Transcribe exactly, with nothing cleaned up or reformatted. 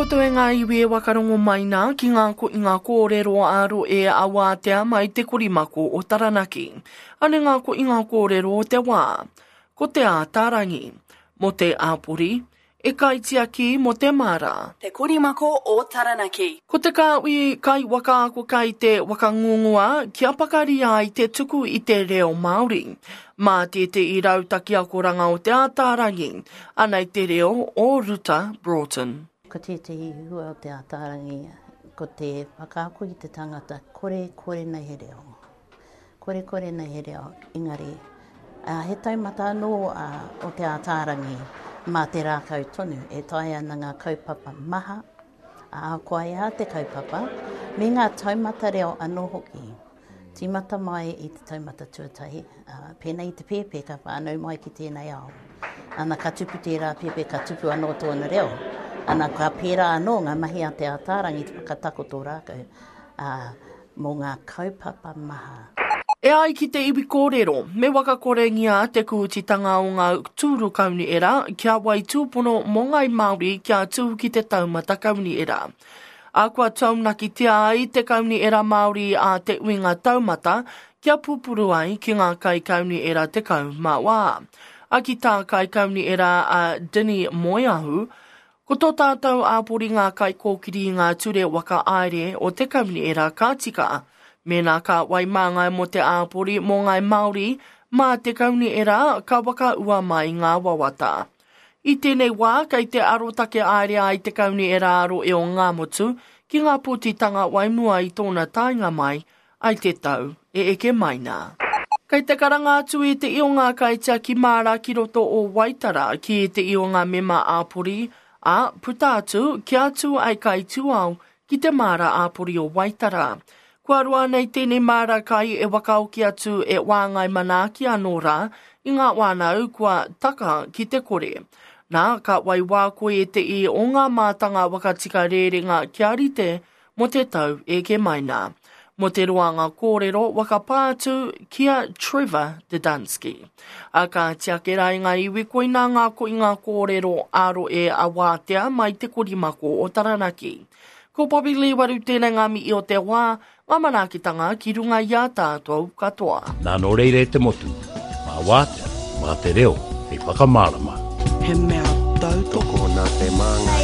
koutou e ngā iwi e wakarongo mai nā ki ngā, ko, ngā kōrero āro e awātea mai te korimako o Taranaki. Ane ngā ko i ngā kōrero o te wā. Ko te ātārangi, mo te āpori, e kaitiaki mo te māra. Te korimako o Taranaki. Ko te kāwi kai wakaako kai te wakangungua kia pakari ai te tuku i te reo Māori. Mā te te i rautaki akoranga o te ātārangi, anei te reo o Ruta Broughton. Ko tētehi hua o te ātārangi, ko te whakaako i te tangata kore kore nei he reo. Kore kore nei he reo, engari. Uh, he taumata anō uh, o te ātārangi mā te rākau tonu e tae ana ngā kaupapa maha, a koa e te kaupapa, me ngā taumata reo anō hoki. Tīmata mai i te taumata tuatahi, uh, pēnei i te pēpē ka whānau mai ki tēnei ao. Ana ka tupu tērā pēpē, ka tupu anō tōna reo. Ana ka pērā anō ngā mahi a te ātārangi te whakatakoto rākau uh, mō ngā kaupapa maha. E ai ki te iwi kōrero, me wakakorengia te kūtitanga o ngā tūru kauniera kia wai tūpono mō ngai Māori kia tū ki te taumata kauniera. A kua taunakitia ai te kauniera Māori a te uinga taumata kia pupuru ai ki ngā kai kauniera te kau mā wā. A ki tā kai kauniera a Dini Moeahu, ko tō tātou āpori ngā kai kōkiri i ngā ture waka aere o te kauniera ka tika. Mēnā ka wai māngai mō te āpori mō ngai Māori, mā te kauniera ka waka ua mai ngā wawata. I tēnei wā, kei te arotake aere ai te kauniera aro e o ngā motu ki ngā pōtitanga waimua i tōna taenga mai, ai te tau e eke mai nā. Kei te karanga atu i te i o ngā kaitiaki māra ki roto o Waitara ki te i o ngā mema āpori, a puta atu kia atu ai kai tūao ki te māra āpori o Waitara. Kua roa nei tēnei māra kai e wakaoki atu e wāngai manaaki anō rā i ngā wānau kua taka ki te kore. Nā, ka wai wā koe e te i o ngā mātanga wakatika rērenga kia rite mō te tau e ke mai nā. Mō te roanga kōrero wakapā atu ki a Trevor Didansky. A ka tiake rā i ngā iwi koina ngā ko i ngā kōrero aro e a wātea mai te korimako o Taranaki. Ko Bobby Lee waru tēnei ngā mihi o te wā, ngā manaakitanga ki runga i a tātou katoa. Nā nō reira e te motu, mā wātea, mā te reo, hei whakamārama. He mea tautoko Tokona te māngai.